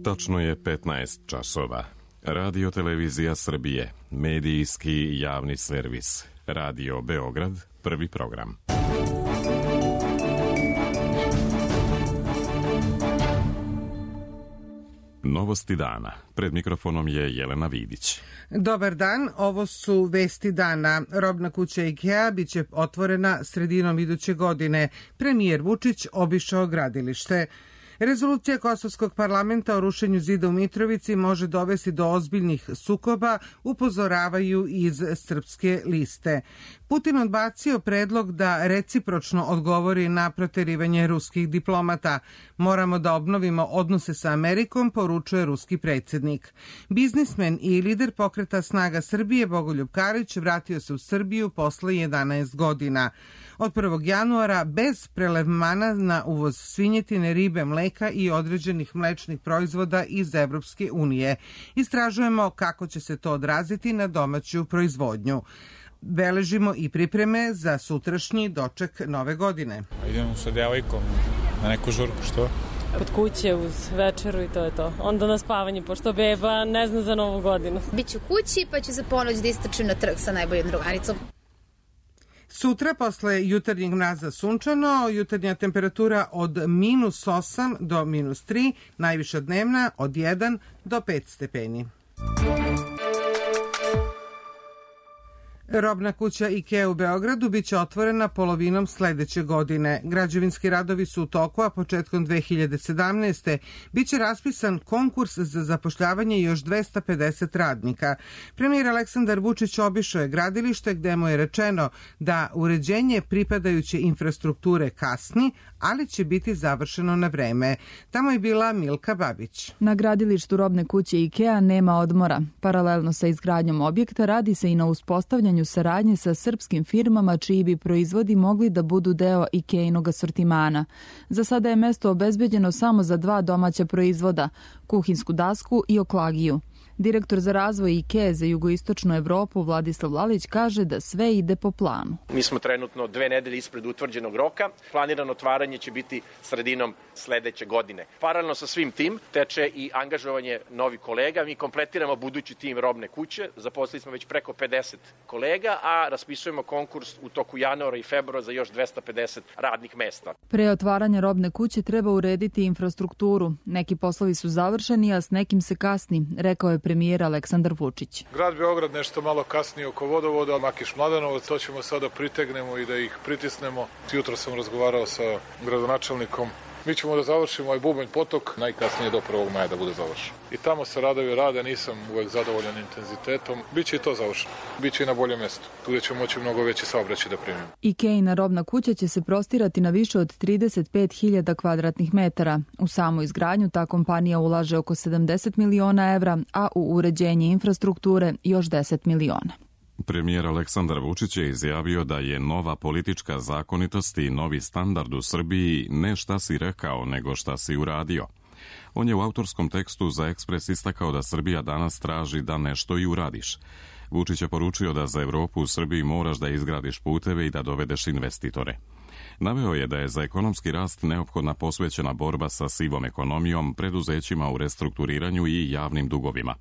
Tačno je 15 časova. Radio Televizija Srbije, medijski javni servis. Radio Beograd, prvi program. Novosti dana. Pred mikrofonom je Jelena Vidić. Dobar dan, ovo su vesti dana. Robna kuća IKEA biće otvorena sredinom iduće godine. Premijer Vučić obišao gradilište. Rezolucija Kosovskog parlamenta o rušenju zida u Mitrovici može dovesti do ozbiljnih sukoba, upozoravaju iz Srpske liste. Putin odbacio predlog da recipročno odgovori na proterivanje ruskih diplomata. Moramo da obnovimo odnose sa Amerikom, poručuje ruski predsjednik. Biznismen i lider pokreta Snaga Srbije Bogoljub Karić vratio se u Srbiju posle 11 godina. Od 1. januara bez prelevmana na uvoz svinjetine, ribe, mleka i određenih mlečnih proizvoda iz Evropske unije. Istražujemo kako će se to odraziti na domaću proizvodnju. Beležimo i pripreme za sutrašnji doček nove godine. Idemo sa devojkom na neku žurku, što? Kod kuće uz večeru i to je to. Onda na spavanje, pošto beba ne zna za novu godinu. Biću kući pa ću za ponoć da istračim na trg sa najboljom drugaricom. Sutra, posle jutarnjeg mraza sunčano, jutarnja temperatura od -8 do -3, najviša dnevna od 1 do 5 stepeni. Robna kuća IKEA u Beogradu biće otvorena polovinom sledeće godine. Građevinski radovi su u toku, a početkom 2017. biće raspisan konkurs za zapošljavanje još 250 radnika. Premijer Aleksandar Vučić obišao je gradilište gde mu je rečeno da uređenje pripadajuće infrastrukture kasni, ali će biti završeno na vreme. Tamo je bila Milka Babić. Na gradilištu robne kuće IKEA nema odmora. Paralelno sa izgradnjom objekta radi se i na uspostavljanju saradnje sa srpskim firmama čiji bi proizvodi mogli da budu deo IKEA-inog asortimana. Za sada je mesto obezbeđeno samo za 2 domaća proizvoda, kuhinsku dasku i oklagiju. Direktor za razvoj IKEA za jugoistočnu Evropu Vladislav Lalić kaže da sve ide po planu. Mi smo trenutno 2 nedelje ispred utvrđenog roka. Planirano otvaranje će biti sredinom sledeće godine. Paralelno sa svim tim teče i angažovanje novih kolega. Mi kompletiramo budući tim robne kuće. Zaposlili smo već preko 50 kolega, a raspisujemo konkurs u toku januara i februara za još 250 radnih mesta. Pre otvaranja robne kuće treba urediti infrastrukturu. Neki poslovi su završeni, a s nekim se kasni, rekao je premijer Aleksandar Vučić. Grad Beograd nešto malo kasnije oko vodovoda, Makiš Mladenovac, to ćemo sada pritegnemo i da ih pritisnemo. Jutro sam razgovarao sa gradonačelnikom. Mi ćemo da završimo ovaj Bubanj potok, najkasnije do 1. maja da bude završen. I tamo se radovi rade, nisam uvek zadovoljan intenzitetom. Biće i to završeno. Biće i na boljem mestu. Tu gde ćemo moći mnogo veći saobraćaj da primimo. IKEA-ina robna kuća će se prostirati na više od 35.000 kvadratnih metara. U samu izgradnju ta kompanija ulaže oko 70 miliona evra, a u uređenje infrastrukture još 10 miliona. Premijer Aleksandar Vučić je izjavio da je nova politička zakonitost i novi standard u Srbiji ne šta si rekao, nego šta si uradio. On je u autorskom tekstu za Ekspres istakao da Srbija danas traži da nešto i uradiš. Vučić je poručio da za Evropu u Srbiji moraš da izgradiš puteve i da dovedeš investitore. Naveo je da je za ekonomski rast neophodna posvećena borba sa sivom ekonomijom, preduzećima u restrukturiranju i javnim dugovima.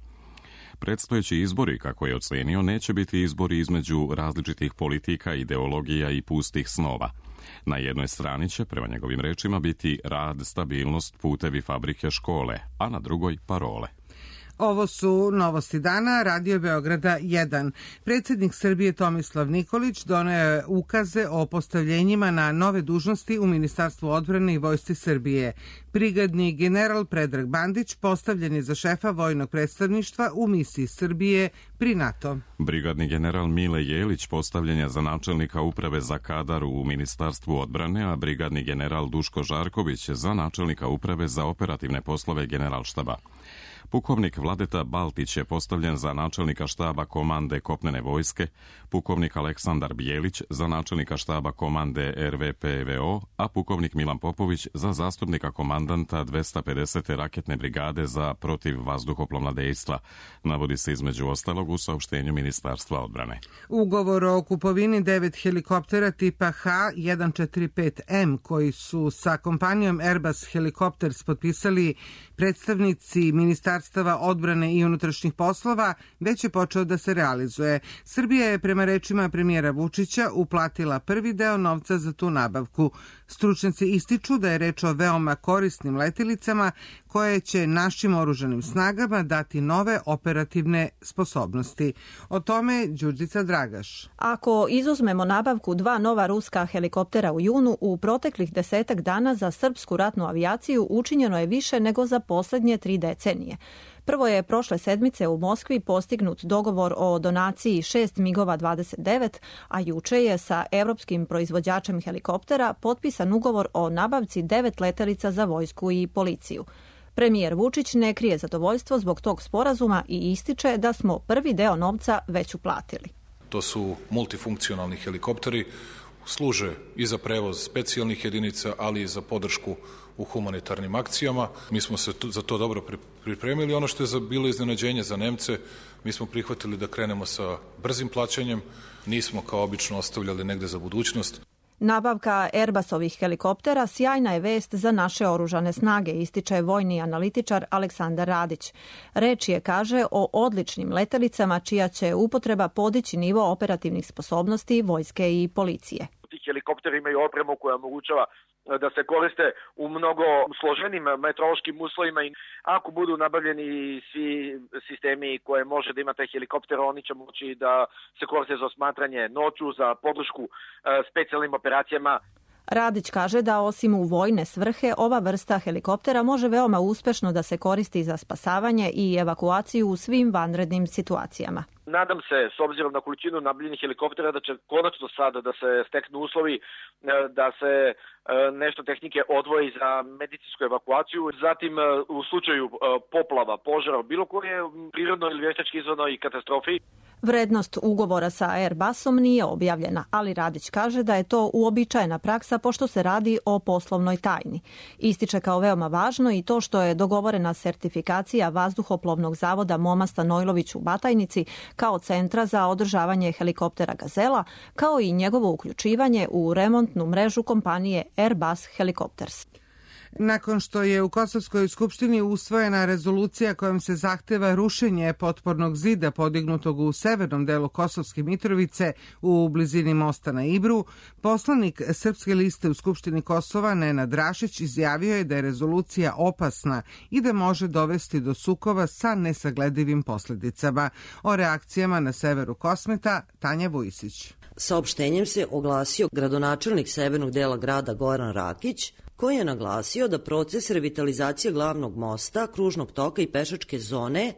Predstojeći izbori, kako je ocenio, neće biti izbori između različitih politika, ideologija i pustih snova. Na jednoj strani će, prema njegovim rečima, biti rad, stabilnost, putevi, fabrike, škole, a na drugoj parole. Ovo su novosti dana, Radio Beograda 1. Predsjednik Srbije Tomislav Nikolić doneo je ukaze o postavljenjima na nove dužnosti u Ministarstvu odbrane i Vojsci Srbije. Brigadni general Predrag Bandić postavljen je za šefa vojnog predstavništva u misiji Srbije pri NATO. Brigadni general Mile Jelić postavljen je za načelnika uprave za kadar u Ministarstvu odbrane, a brigadni general Duško Žarković za načelnika uprave za operativne poslove Generalštaba. Pukovnik Vladeta Baltić je postavljen za načelnika štaba komande kopnene vojske, pukovnik Aleksandar Bijelić za načelnika štaba komande RVPVO, a pukovnik Milan Popović za zastupnika komandanta 250. raketne brigade za protivvazduhoplovna dejstva, navodi se između ostalog u saopštenju Ministarstva odbrane. Ugovor o kupovini 9 helikoptera tipa H145M koji su sa kompanijom Airbus Helicopters potpisali predstavnici Ministarstava odbrane i unutrašnjih poslova već je počeo da se realizuje. Srbija je prema rečima premijera Vučića uplatila prvi deo novca za tu nabavku. Stručnjaci ističu da je reč o veoma korisnim letjelicama koje će našim oružanim snagama dati nove operativne sposobnosti. O tome Đurđica Dragaš. Ako izuzmemo nabavku 2 nova ruska helikoptera u junu, u proteklih 10 dana za srpsku ratnu avijaciju učinjeno je više nego za poslednje 3 decenije. Prvo je prošle sedmice u Moskvi postignut dogovor o donaciji 6 MiG-ova 29, a juče je sa evropskim proizvođačem helikoptera potpisan ugovor o nabavci 9 letelica za vojsku i policiju. Premijer Vučić ne krije zadovoljstvo zbog tog sporazuma i ističe da smo prvi deo novca već uplatili. To su multifunkcionalni helikopteri, služe i za prevoz specijalnih jedinica, ali i za podršku u humanitarnim akcijama. Mi smo se za to dobro pripremili. Ono što je bilo iznenađenje za Nemce, mi smo prihvatili da krenemo sa brzim plaćanjem, nismo kao obično ostavljali negde za budućnost. Nabavka Airbusovih helikoptera sjajna je vest za naše oružane snage, ističe vojni analitičar Aleksandar Radić. Reč je, kaže, o odličnim letelicama čija će upotreba podići nivo operativnih sposobnosti vojske i policije. Ti helikopteri imaju opremu koja omogućava da se koriste u mnogo složenim meteorološkim uslovima i ako budu nabavljeni svi sistemi koje može da ima taj helikopter, oni će moći da se koriste za osmatranje noću, za podršku specijalnim operacijama. Radić kaže da osim u vojne svrhe, ova vrsta helikoptera može veoma uspešno da se koristi za spasavanje i evakuaciju u svim vanrednim situacijama. Nadam se, s obzirom na količinu nabavljenih helikoptera, da će konačno sada da se steknu uslovi, da se nešto tehnike odvoji za medicinsku evakuaciju. Zatim, u slučaju poplava, požara, bilo koje prirodno ili veštački izazvanoj katastrofi. Vrednost ugovora sa Airbusom nije objavljena, ali Radić kaže da je to uobičajena praksa pošto se radi o poslovnoj tajni. Ističe kao veoma važno i to što je dogovorena sertifikacija Vazduhoplovnog zavoda Moma Stanojlović u Batajnici kao centra za održavanje helikoptera Gazela, kao i njegovo uključivanje u remontnu mrežu kompanije Airbus Helicopters. Nakon što je u Kosovskoj skupštini usvojena rezolucija kojom se zahteva rušenje potpornog zida podignutog u severnom delu Kosovske Mitrovice u blizini mosta na Ibru, poslanik Srpske liste u Skupštini Kosova Nenad Rašić izjavio je da je rezolucija opasna i da može dovesti do sukoba sa nesagledivim posljedicama. O reakcijama na severu Kosmeta Tanja Vujisić. Saopštenjem se oglasio gradonačelnik severnog dela grada Goran Rakić, koji je naglasio da proces revitalizacije glavnog mosta, kružnog toka i pešačke zone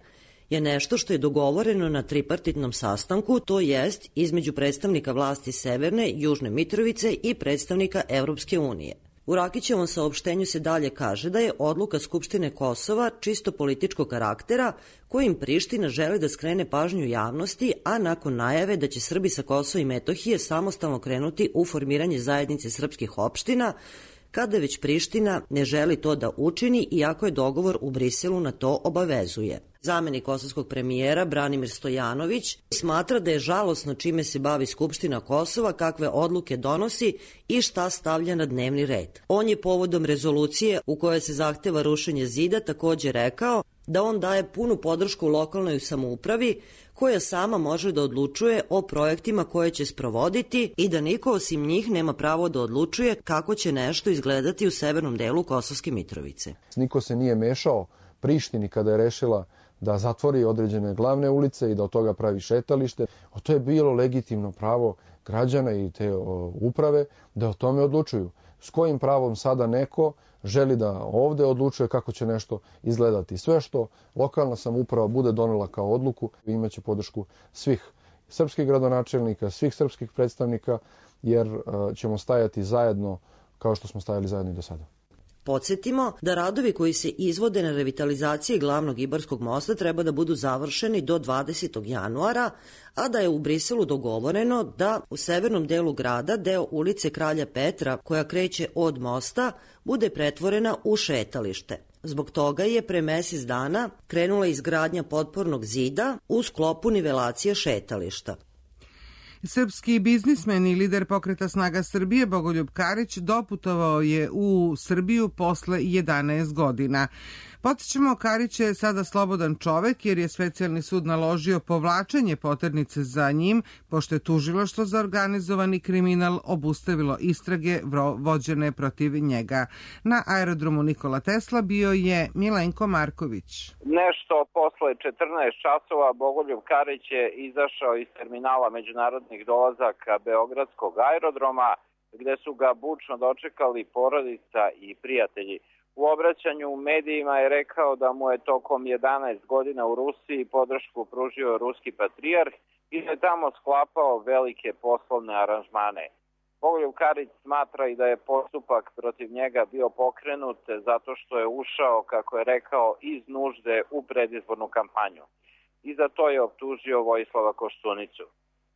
je nešto što je dogovoreno na tripartitnom sastanku, to jest između predstavnika vlasti Severne, Južne Mitrovice i predstavnika Evropske unije. U Rakićevom saopštenju se dalje kaže da je odluka Skupštine Kosova čisto političkog karaktera kojim Priština želi da skrene pažnju javnosti, a nakon najave da će Srbi sa Kosova i Metohije samostalno krenuti u formiranje zajednice srpskih opština, kada već Priština ne želi to da učini, iako je dogovor u Briselu na to obavezuje. Zamenik kosovskog premijera Branimir Stojanović smatra da je žalosno čime se bavi Skupština Kosova, kakve odluke donosi i šta stavlja na dnevni red. On je povodom rezolucije u kojoj se zahteva rušenje zida također rekao da on daje punu podršku lokalnoj samoupravi koja sama može da odlučuje o projektima koje će sprovoditi i da niko osim njih nema pravo da odlučuje kako će nešto izgledati u severnom delu Kosovske Mitrovice. Niko se nije mešao Prištini kada je rešila da zatvori određene glavne ulice i da od toga pravi šetalište. To je bilo legitimno pravo građana i te uprave da o tome odlučuju. S kojim pravom sada neko želi da ovde odlučuje kako će nešto izgledati. Sve što lokalna samouprava bude donela kao odluku imaće podršku svih srpskih gradonačelnika, svih srpskih predstavnika, jer ćemo stajati zajedno kao što smo stajali zajedno i do sada. Podsjetimo da radovi koji se izvode na revitalizaciji glavnog Ibarskog mosta treba da budu završeni do 20. januara, a da je u Briselu dogovoreno da u severnom delu grada deo ulice Kralja Petra, koja kreće od mosta, bude pretvorena u šetalište. Zbog toga je pre mesec dana krenula izgradnja potpornog zida u sklopu nivelacije šetališta. Srpski biznismen i lider pokreta Snaga Srbije Bogoljub Karić doputovao je u Srbiju posle 11 godina. Podsjećamo, Karić je sada slobodan čovek jer je specijalni sud naložio povlačenje poternice za njim, pošto je tužilaštvo za organizovani kriminal obustavilo istrage vođene protiv njega. Na aerodromu Nikola Tesla bio je Milenko Marković. Nešto posle 14 časova Bogoljub Karić je izašao iz terminala međunarodnih dolazaka Beogradskog aerodroma, gde su ga bučno dočekali porodica i prijatelji. U obraćanju u medijima je rekao da mu je tokom 11 godina u Rusiji podršku pružio ruski patrijarh i da je tamo sklapao velike poslovne aranžmane. Bogoljub Karić smatra i da je postupak protiv njega bio pokrenut zato što je ušao, kako je rekao, iz nužde u predizbornu kampanju. I za to je optužio Vojislava Koštunicu.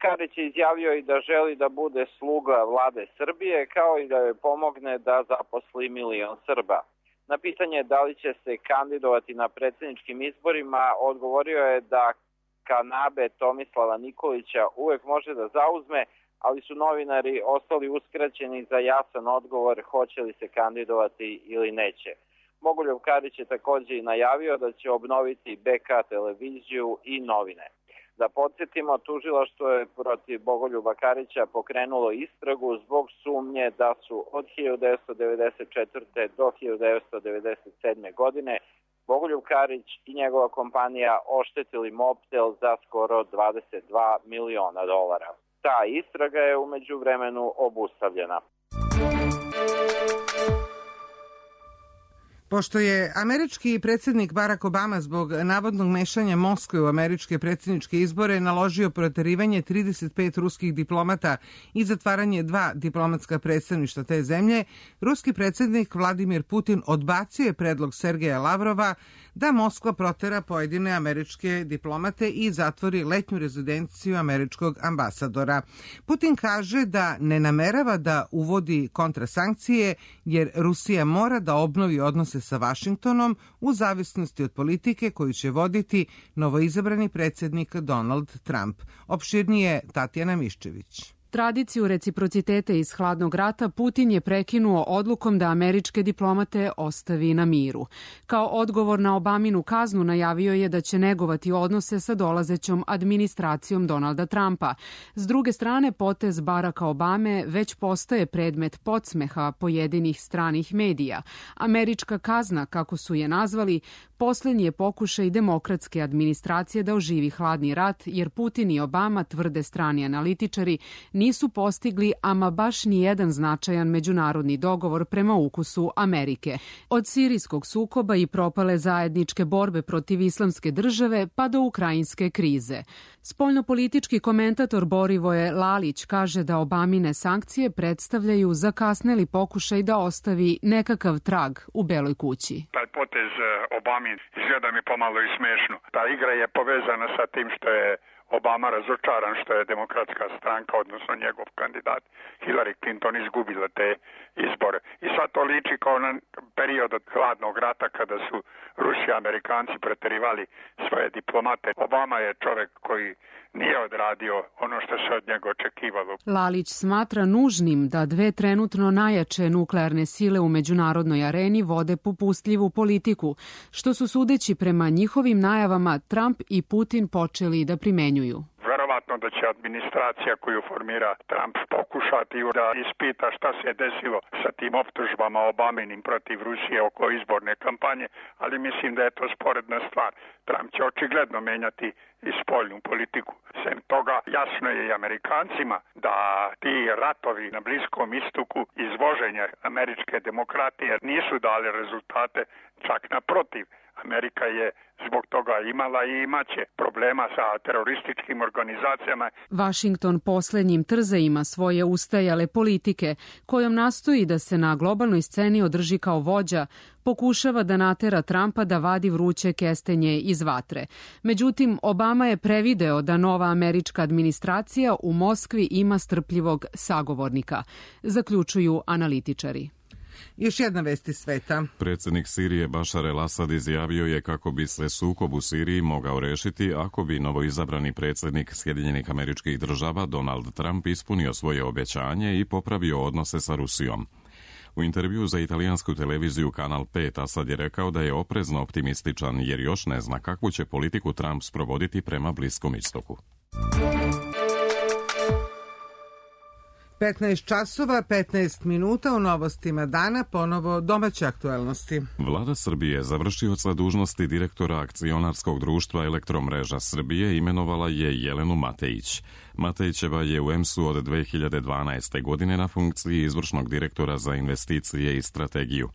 Karić je izjavio i da želi da bude sluga vlade Srbije, kao i da joj pomogne da zaposli 1 milion Srba. Na pitanje da li će se kandidovati na predsjedničkim izborima, odgovorio je da kanabe Tomislava Nikolića uvek može da zauzme, ali su novinari ostali uskraćeni za jasan odgovor hoće li se kandidovati ili neće. Bogoljub Karić je također i najavio da će obnoviti BK televiziju i novine. Da podsjetimo, tužilaštvo je protiv Bogoljuba Karića pokrenulo istragu zbog sumnje da su od 1994. do 1997. godine Bogoljub Karić i njegova kompanija oštetili Mobtel za skoro 22 miliona dolara. Ta istraga je u međuvremenu obustavljena. Pošto je američki predsjednik Barack Obama zbog navodnog mešanja Moskve u američke predsjedničke izbore naložio proterivanje 35 ruskih diplomata i zatvaranje 2 diplomatska predstavništva te zemlje, ruski predsjednik Vladimir Putin odbacio je predlog Sergeja Lavrova da Moskva protera pojedine američke diplomate i zatvori letnju rezidenciju američkog ambasadora. Putin kaže da ne namerava da uvodi kontrasankcije jer Rusija mora da obnovi odnose sa Vašingtonom u zavisnosti od politike koju će voditi novoizabrani predsjednik Donald Trump. Opširnije Tatjana Miščević. Tradiciju reciprociteta iz hladnog rata Putin je prekinuo odlukom da američke diplomate ostavi na miru. Kao odgovor na Obaminu kaznu najavio je da će negovati odnose sa dolazećom administracijom Donalda Trumpa. S druge strane, potez Baracka Obame već postaje predmet podsmeha pojedinih stranih medija. Američka kazna, kako su je nazvali, poslednji je pokušaj demokratske administracije da oživi hladni rat, jer Putin i Obama, tvrde strani analitičari, nisu postigli ama baš ni jedan značajan međunarodni dogovor prema ukusu Amerike. Od sirijskog sukoba i propale zajedničke borbe protiv islamske države pa do ukrajinske krize. Spoljnopolitički komentator Borivoje Lalić kaže da Obamine sankcije predstavljaju zakasneli pokušaj da ostavi nekakav trag u Beloj kući. Taj potez Obamin izgleda mi pomalo i smešno. Ta igra je povezana sa tim što je Obama razočaran što je demokratska stranka, odnosno njegov kandidat Hillary Clinton, izgubila te izbore. I sad to liči kao na period od hladnog rata kada su Rusi i Amerikanci preterivali svoje diplomate. Obama je čovek koji nije odradio ono što se od njega očekivalo. Lalić smatra nužnim da 2 trenutno najjače nuklearne sile u međunarodnoj areni vode popustljivu politiku, što su sudeći prema njihovim najavama Trump i Putin počeli da primenjuju. Verovatno da će administracija koju formira Trump pokušati da ispita šta se je desilo sa tim optužbama Obaminim protiv Rusije oko izborne kampanje, ali mislim da je to sporedna stvar. Trump će očigledno menjati i spoljnu politiku. Sem toga, jasno je i Amerikancima da ti ratovi na Bliskom istoku, izvoženje američke demokratije nisu dali rezultate, čak naprotiv. Amerika je zbog toga imala i imaće problema sa terorističkim organizacijama. Washington poslednjim trzajima svoje ustajale politike, kojom nastoji da se na globalnoj sceni održi kao vođa, pokušava da natera Trumpa da vadi vruće kestenje iz vatre. Međutim, Obama je prevideo da nova američka administracija u Moskvi ima strpljivog sagovornika, zaključuju analitičari. Još jedna vest iz sveta. Predsjednik Sirije Bašar el-Asad izjavio je kako bi se sukob u Siriji mogao rešiti ako bi novoizabrani predsjednik Sjedinjenih Američkih Država Donald Trump ispunio svoje obećanje i popravio odnose sa Rusijom. U intervju za italijansku televiziju Kanal 5 Asad je rekao da je oprezno optimističan jer još ne zna kakvu će politiku Trump sprovoditi prema Bliskom istoku. 15 časova, 15 minuta u novostima dana, ponovo domaće aktuelnosti. Vlada Srbije, završioca dužnosti direktora akcionarskog društva Elektromreža Srbije, imenovala je Jelenu Matejić. Matejićeva je u EMS-u od 2012. godine na funkciji izvršnog direktora za investicije i strategiju.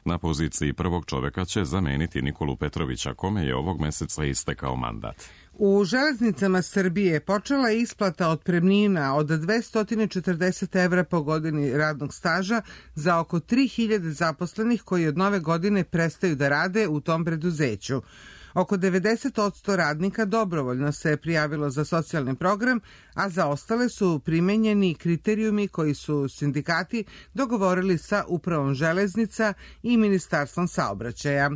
Na poziciji prvog čoveka će zameniti Nikolu Petrovića, kome je ovog meseca istekao mandat. U železnicama Srbije počela je isplata otpremnina od 240 evra po godini radnog staža za oko 3000 zaposlenih koji od nove godine prestaju da rade u tom preduzeću. Oko 90% radnika dobrovoljno se prijavilo za socijalni program, a za ostale su primenjeni kriterijumi koji su sindikati dogovorili sa Upravom železnica i Ministarstvom saobraćaja.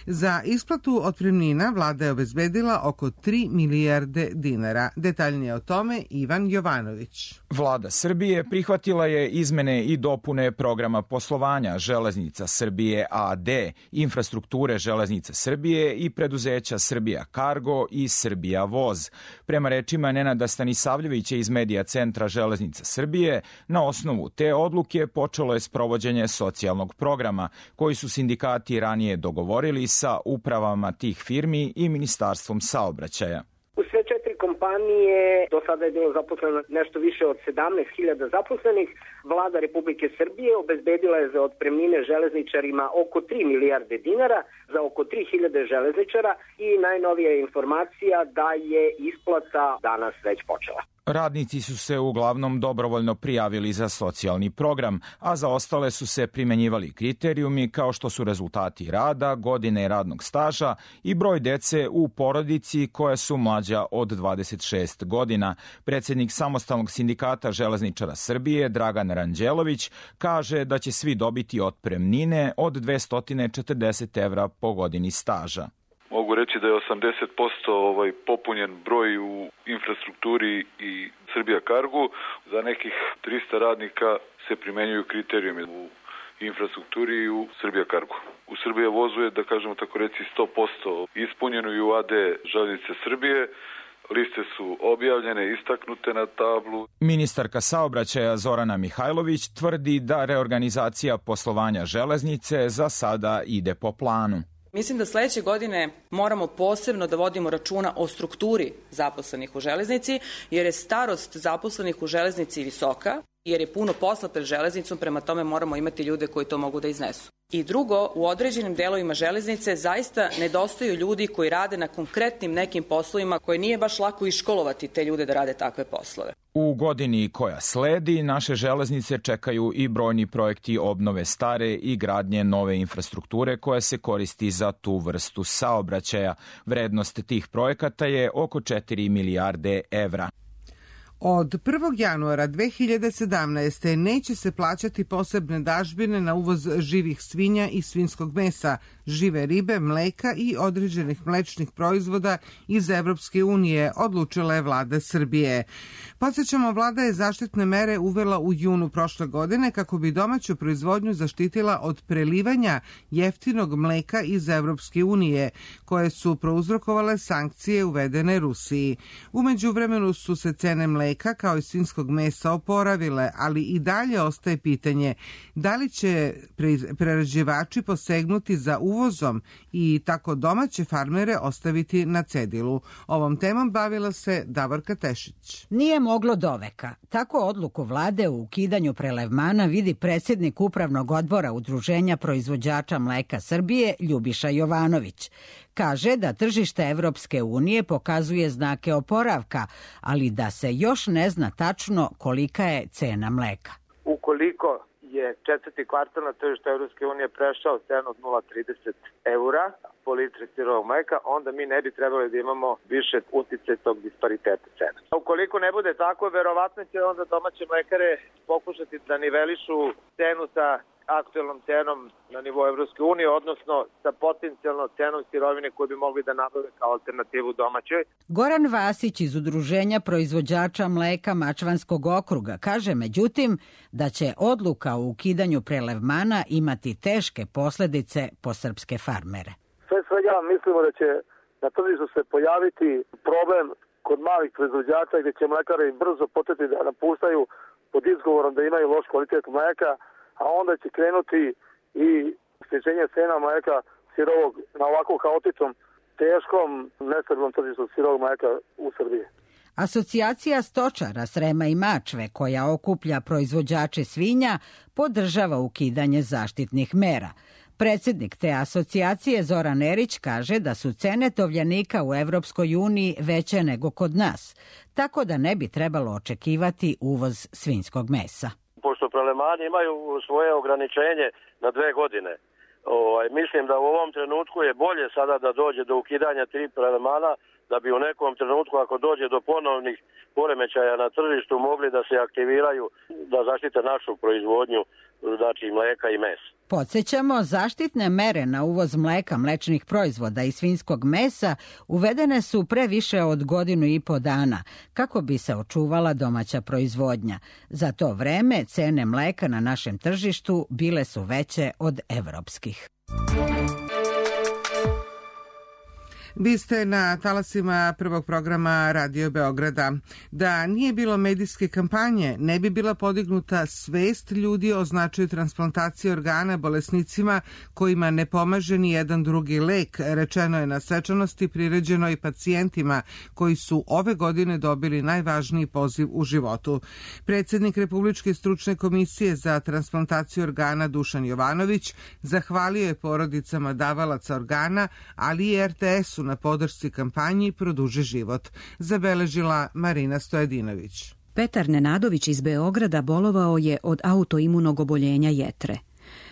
Za isplatu otpremnina vlada je obezbedila oko 3 milijarde dinara. Detaljnije o tome Ivan Jovanović. Vlada Srbije prihvatila je izmene i dopune programa poslovanja Železnica Srbije AD, infrastrukture Železnice Srbije i preduzeća Srbija Kargo i Srbija Voz. Prema rečima Nenada Stanisavljevića iz Medija centra Železnica Srbije, na osnovu te odluke počelo je sprovođenje socijalnog programa, koji su sindikati ranije dogovorili sa upravama tih firmi i Ministarstvom saobraćaja. U sve 4 kompanije do sada je bilo zaposleno nešto više od 17.000 zaposlenih. Vlada Republike Srbije obezbedila je za otpremnine železničarima oko 3 milijarde dinara za oko 3.000 železničara i najnovija informacija da je isplata danas već počela. Radnici su se uglavnom dobrovoljno prijavili za socijalni program, a za ostale su se primenjivali kriterijumi kao što su rezultati rada, godine radnog staža i broj dece u porodici koja su mlađa od 26 godina. Predsjednik Samostalnog sindikata železničara Srbije, Dragan Ranđelović, kaže da će svi dobiti otpremnine od 240 evra po godini staža. Mogu reći da je 80% popunjen broj u infrastrukturi i Srbija Kargu. Za nekih 300 radnika se primenjuju kriterijumi u infrastrukturi i u Srbija Kargu. U Srbija Vozu je, da kažemo tako reci, 100% ispunjeno i u AD Železnice Srbije. Liste su objavljene, istaknute na tablu. Ministarka saobraćaja Zorana Mihajlović tvrdi da reorganizacija poslovanja železnice za sada ide po planu. Mislim da sledeće godine moramo posebno da vodimo računa o strukturi zaposlenih u železnici, jer je starost zaposlenih u železnici visoka, jer je puno posla pred železnicom, prema tome moramo imati ljude koji to mogu da iznesu. I drugo, u određenim delovima železnice zaista nedostaju ljudi koji rade na konkretnim nekim poslovima koje nije baš lako iškolovati te ljude da rade takve poslove. U godini koja sledi, naše železnice čekaju i brojni projekti obnove stare i gradnje nove infrastrukture koja se koristi za tu vrstu saobraćaja. Vrednost tih projekata je oko 4 milijarde evra. Od 1. januara 2017. neće se plaćati posebne dažbine na uvoz živih svinja i svinjskog mesa, žive ribe, mleka i određenih mlečnih proizvoda iz Evropske unije, odlučila je vlada Srbije. Podsjećamo, vlada je zaštitne mere uvela u junu prošle godine kako bi domaću proizvodnju zaštitila od prelivanja jeftinog mleka iz Evropske unije, koje su prouzrokovale sankcije uvedene Rusiji. U međuvremenu su se cene mleka mleka kao i svinjskog mesa oporavile, ali i dalje ostaje pitanje da li će prerađivači posegnuti za uvozom i tako domaće farmere ostaviti na cedilu. Ovom temom bavila se Davorka Tešić. Nije moglo doveka. Tako odluku vlade u ukidanju prelevmana vidi predsjednik Upravnog odbora Udruženja proizvođača mleka Srbije Ljubiša Jovanović. Kaže da tržište Evropske unije pokazuje znake oporavka, ali da se još ne zna tačno kolika je cena mleka. Ukoliko je četvrti kvartal na tržištu Evropske unije prešao cenu od 0,30 eura po litri sirovog mleka, onda mi ne bi trebali da imamo više utice tog dispariteta cena. Ukoliko ne bude tako, verovatno će onda domaće mlekare pokušati da nivelišu cenu sa aktuelnom cenom na nivou Evropske unije, odnosno sa potencijalnom cenom sirovine koju bi mogli da nabave kao alternativu domaćoj. Goran Vasić iz Udruženja proizvođača mleka Mačvanskog okruga kaže međutim da će odluka o ukidanju prelevmana imati teške posljedice po srpske farmere. Sve svega mislimo da će na tržištu se pojaviti problem kod malih proizvođača gdje će mlekari brzo početi da napuštaju pod izgovorom da imaju loš kvalitet mleka, a onda će krenuti i sniženje cena mleka sirovog na ovako haotičnom, teškom, nestabilnom tržištu sirovog mleka u Srbiji. Asocijacija stočara Srema i Mačve, koja okuplja proizvođače svinja, podržava ukidanje zaštitnih mera. Predsjednik te asocijacije Zoran Erić kaže da su cene tovljenika u Evropskoj uniji veće nego kod nas, tako da ne bi trebalo očekivati uvoz svinjskog mesa. Pošto prelemani imaju svoje ograničenje na 2 godine, mislim da u ovom trenutku je bolje sada da dođe do ukidanja 3 prelemana, da bi u nekom trenutku, ako dođe do ponovnih poremećaja na tržištu, mogli da se aktiviraju da zaštite našu proizvodnju, znači mleka i mesa. Podsjećamo, zaštitne mere na uvoz mleka, mlečnih proizvoda i svinjskog mesa uvedene su pre više od 1,5 godine kako bi se očuvala domaća proizvodnja. Za to vreme cene mleka na našem tržištu bile su veće od evropskih. Vi ste na talasima prvog programa Radio Beograda. Da nije bilo medijske kampanje, ne bi bila podignuta svest ljudi o značaju transplantacije organa bolesnicima kojima ne pomaže ni jedan drugi lek, rečeno je na svečanosti priređenoj pacijentima koji su ove godine dobili najvažniji poziv u životu. Predsjednik Republičke stručne komisije za transplantaciju organa Dušan Jovanović zahvalio je porodicama davalaca organa, ali i RTS-u na podršci kampanji Produži život, zabeležila Marina Stojadinović. Petar Nenadović iz Beograda bolovao je od autoimunog oboljenja jetre.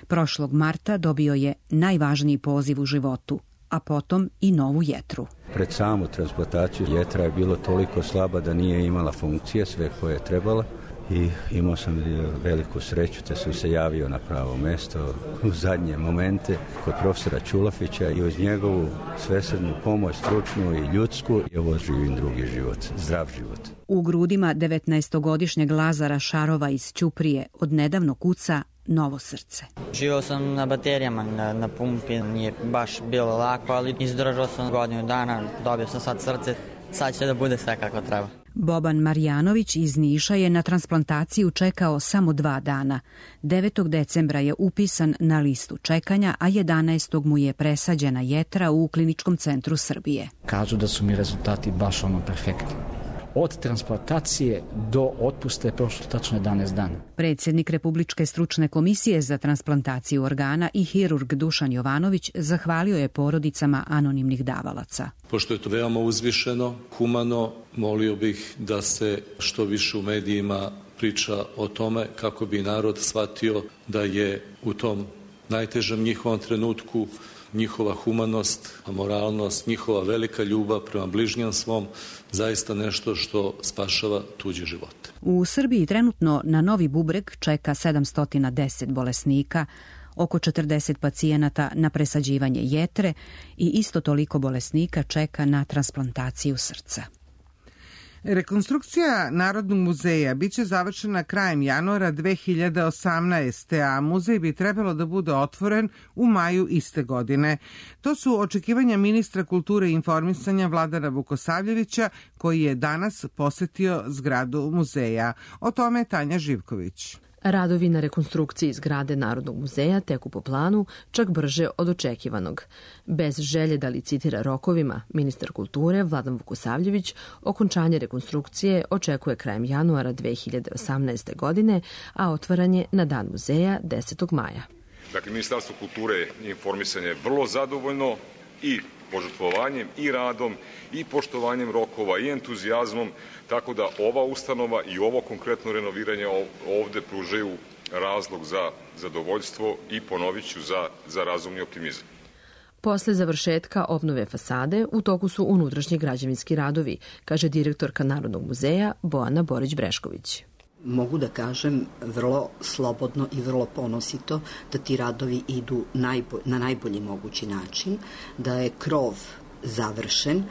Prošlog marta dobio je najvažniji poziv u životu, a potom i novu jetru. Pred samu transplantaciju jetra je bilo toliko slaba da nije imala funkcije sve koje je trebala. I imao sam veliku sreću da sam se javio na pravo mjesto u zadnje momente kod profesora Čulafića i uz njegovu svesrdnu pomoć, stručnu i ljudsku, i ovo živim drugi život, zdrav život. U grudima 19-godišnjeg Lazara Šarova iz Ćuprije odnedavno kuca novo srce. Živao sam na baterijama, na pumpi, nije baš bilo lako, ali izdržao sam 1 godinu dana, dobio sam sad srce, sad će da bude sve kako treba. Boban Marjanović iz Niša je na transplantaciju čekao samo 2 dana. 9. decembra je upisan na listu čekanja, a 11. mu je presađena jetra u Kliničkom centru Srbije. Kažu da su mi rezultati baš perfektni. Od transplantacije do otpusta je prošlo tačno 11 dana. Predsjednik Republičke stručne komisije za transplantaciju organa i hirurg Dušan Jovanović zahvalio je porodicama anonimnih davalaca. Pošto je to veoma uzvišeno, humano, molio bih da se što više u medijima priča o tome kako bi narod shvatio da je u tom najtežem njihovom trenutku njihova humanost, moralnost, njihova velika ljubav prema bližnjem svom zaista nešto što spašava tuđe živote. U Srbiji trenutno na Novi bubreg čeka 710 bolesnika, oko 40 pacijenata na presađivanje jetre i isto toliko bolesnika čeka na transplantaciju srca. Rekonstrukcija Narodnog muzeja biće završena krajem januara 2018. a muzej bi trebalo da bude otvoren u maju iste godine. To su očekivanja ministra kulture i informisanja Vladana Vukosavljevića, koji je danas posetio zgradu muzeja. O tome Tanja Živković. Radovi na rekonstrukciji zgrade Narodnog muzeja teku po planu, čak brže od očekivanog. Bez želje da licitira rokovima, ministar kulture Vladan Vukosavljević okončanje rekonstrukcije očekuje krajem januara 2018. godine, a otvaranje na Dan muzeja 10. maja. Dakle, Ministarstvo kulture i informisanja je vrlo zadovoljno i požrtvovanjem i radom i poštovanjem rokova i entuzijazmom, tako da ova ustanova i ovo konkretno renoviranje ovde pružaju razlog za zadovoljstvo i ponoviću za razumni optimizam. Posle završetka obnove fasade u toku su unutrašnji građevinski radovi, kaže direktorka Narodnog muzeja Bojana Borić-Brešković. Mogu da kažem vrlo slobodno i vrlo ponosito da ti radovi idu na najbolji mogući način, da je krov završen,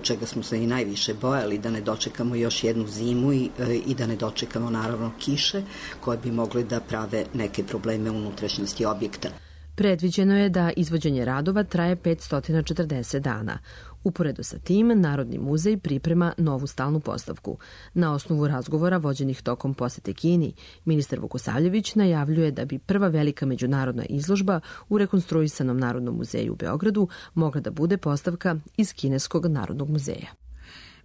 čega smo se i najviše bojali, da ne dočekamo još jednu zimu i da ne dočekamo naravno kiše koje bi mogli da prave neke probleme u unutrašnjosti objekta. Predviđeno je da izvođenje radova traje 540 dana. Uporedo sa tim, Narodni muzej priprema novu stalnu postavku. Na osnovu razgovora vođenih tokom posete Kini, ministar Vukosavljević najavljuje da bi prva velika međunarodna izložba u rekonstruisanom Narodnom muzeju u Beogradu mogla da bude postavka iz Kineskog Narodnog muzeja.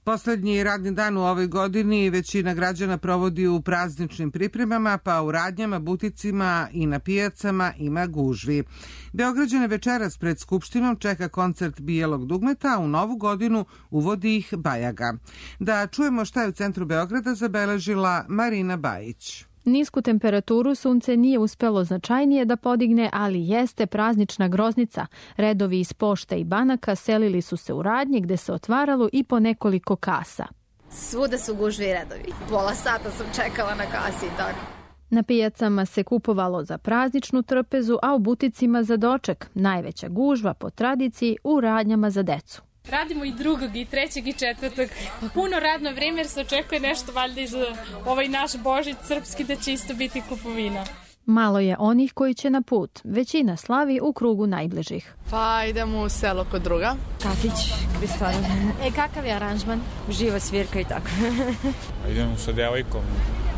Poslednji radni dan u ovoj godini većina građana provodi u prazničnim pripremama, pa u radnjama, buticima i na pijacama ima gužvi. Beograđane večeras pred Skupštinom čeka koncert Bijelog dugmeta, a u novu godinu uvodi ih Bajaga. Da čujemo šta je u centru Beograda zabeležila Marina Bajić. Nisku temperaturu sunce nije uspelo značajnije da podigne, ali jeste praznična groznica. Redovi iz pošte i banaka selili su se u radnje gde se otvaralo i po nekoliko kasa. Svuda su gužvi i redovi. Pola sata sam čekala na kasi i tako. Na pijacama se kupovalo za prazničnu trpezu, a u buticima za doček. Najveća gužva po tradiciji u radnjama za decu. Radimo i 2. i 3. i 4. Puno radno vreme jer se očekuje nešto valjda iz ovaj naš Božić srpski da će isto biti kupovina. Malo je onih koji će na put. Većina slavi u krugu najbližih. Pa idemo u selo kod druga. Kafić, Kristana. Kakav je aranžman? Živa svirka i tako. Idemo sa devojkom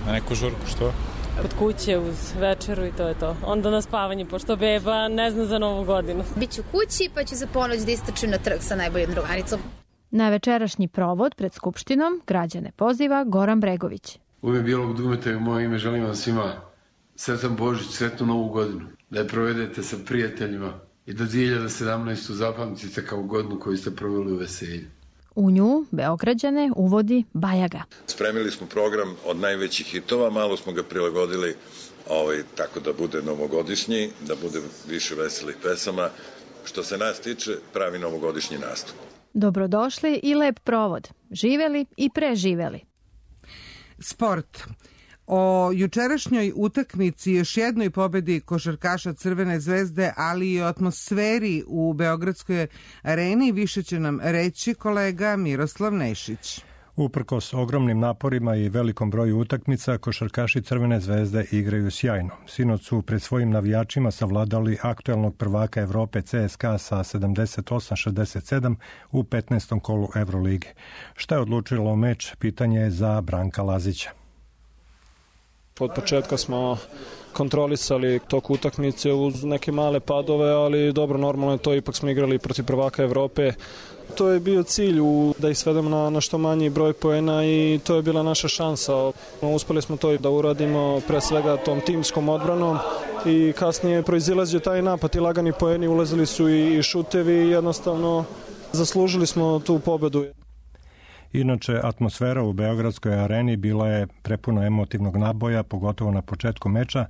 na neku žurku, što? Kod kuće uz večeru i to je to. Onda na spavanje, pošto beba ne zna za Novu godinu. Biću kući pa ću za ponoć da istračim na trg sa najboljom drugaricom. Na večerašnji provod pred Skupštinom građane poziva Goran Bregović. U ime Bijelog dugmeta i u moje ime želim vam svima sretan Božić, sretnu Novu godinu. Da je provedete sa prijateljima i da 2017. zapamtite kao godinu koju ste proveli u veselju. U nju Beograđane uvodi Bajaga. Spremili smo program od najvećih hitova, malo smo ga prilagodili tako da bude novogodišnji, da bude više veselih pesama. Što se nas tiče, pravi novogodišnji nastup. Dobrodošli i lep provod. Živeli i preživeli. Sport. O jučerašnjoj utakmici, još jednoj pobedi košarkaša Crvene zvezde, ali i o atmosferi u Beogradskoj areni više će nam reći kolega Miroslav Nešić. Uprkos ogromnim naporima i velikom broju utakmica, košarkaši Crvene zvezde igraju sjajno. Sinoć su pred svojim navijačima savladali aktuelnog prvaka Evrope CSKA sa 78-67 u 15. kolu Evrolige. Šta je odlučilo meč, pitanje je za Branka Lazića. Od početka smo kontrolisali tok utakmice uz neke male padove, ali dobro, normalno je to, ipak smo igrali protiv prvaka Evrope. To je bio cilj da ih svedemo na što manji broj poena i to je bila naša šansa. Uspeli smo to da uradimo pre svega tom timskom odbranom i kasnije proizilazio taj napad i lagani poeni, ulazili su i šutevi i jednostavno zaslužili smo tu pobedu. Inače, atmosfera u Beogradskoj areni bila je prepuna emotivnog naboja, pogotovo na početku meča,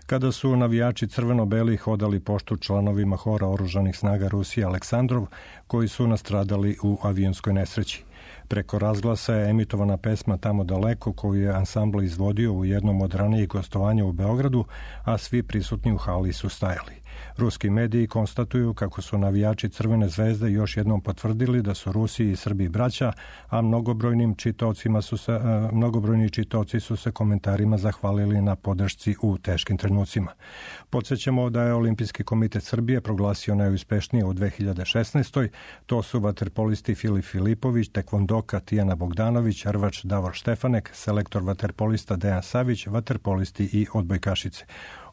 kada su navijači crveno-beli hodali poštu članovima hora oružanih snaga Rusije Aleksandrov, koji su nastradali u avionskoj nesreći. Preko razglasa je emitovana pesma Tamo daleko koju je ansambl izvodio u jednom od ranijih gostovanja u Beogradu, a svi prisutni u hali su stajali. Ruski mediji konstatuju kako su navijači Crvene zvezde još jednom potvrdili da su Rusi i Srbi braća, a mnogobrojni čitaoci su se komentarima zahvalili na podršci u teškim trenucima. Podsjećamo da je Olimpijski komitet Srbije proglasio najuspešnije u 2016. To su vaterpolisti Filip Filipović, tekvondoka Tijana Bogdanović, rvač Davor Štefanek, selektor vaterpolista Dejan Savić, vaterpolisti i odbojkašice.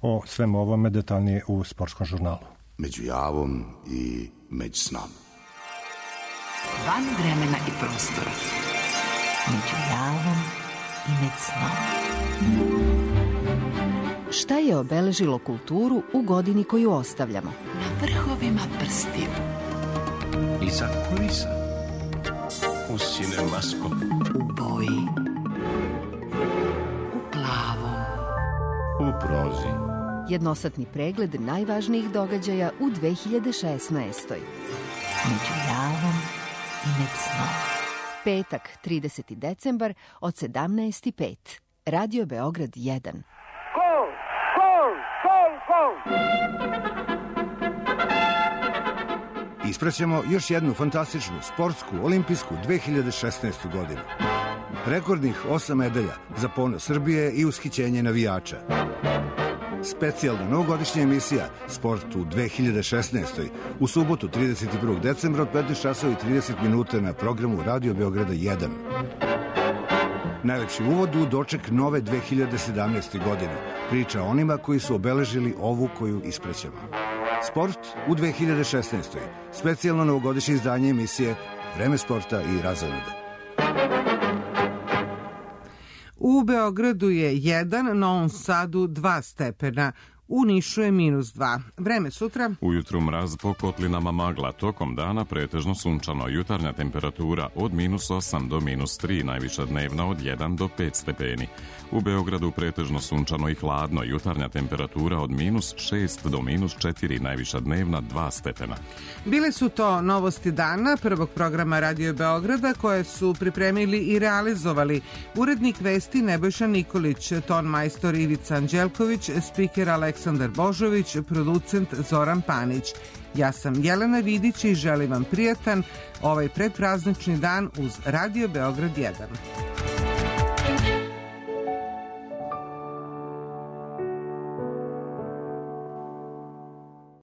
O svem ovome detaljnije u Sportskom žurnalu. Među javom i među snom. Van vremena i prostora. Među javom i među snom. Šta je obeležilo kulturu u godini koju ostavljamo? Na vrhovima prstiju. Iza kulisa. U Cinemaskop. U boji. U plavom. U prozi. Jednosatni pregled najvažnijih događaja u 2016. Među javom i među snom. Petak, 30. decembar od 17:05. Radio Beograd 1. Gol! Gol! Gol! Gol! Ispraćamo još jednu fantastičnu sportsku olimpijsku 2016. godinu. Rekordnih 8 medalja za ponos Srbije i ushićenje navijača. Specijalna novogodišnja emisija Sport u 2016. u subotu 31. decembra od 15:30 na programu Radio Beograda 1. Najlepši uvod u doček nove 2017. godine. Priča o onima koji su obeležili ovu koju isprećamo. Sport u 2016. Specijalno novogodišnje izdanje emisije Vreme sporta i razonode. U Beogradu je 1, Novom Sadu 2 stepena. U Nišu je -2. Vreme sutra. Ujutru mraz, po kotlinama magla, tokom dana pretežno sunčano, jutarnja temperatura od -8 do -3, najviša dnevna od 1 do 5 stepeni. U Beogradu pretežno sunčano i hladno, jutarnja temperatura od -6 do -4, najviša dnevna 2 stepena. Bile su to novosti dana prvog programa Radio Beograda koje su pripremili i realizovali urednik vesti Nebojša Nikolić, ton majstor Ivica Anđelković, spiker Aleksandar Božović, producent Zoran Panić. Ja sam Jelena Vidić i želim vam prijatan ovaj predpraznični dan uz Radio Beograd 1.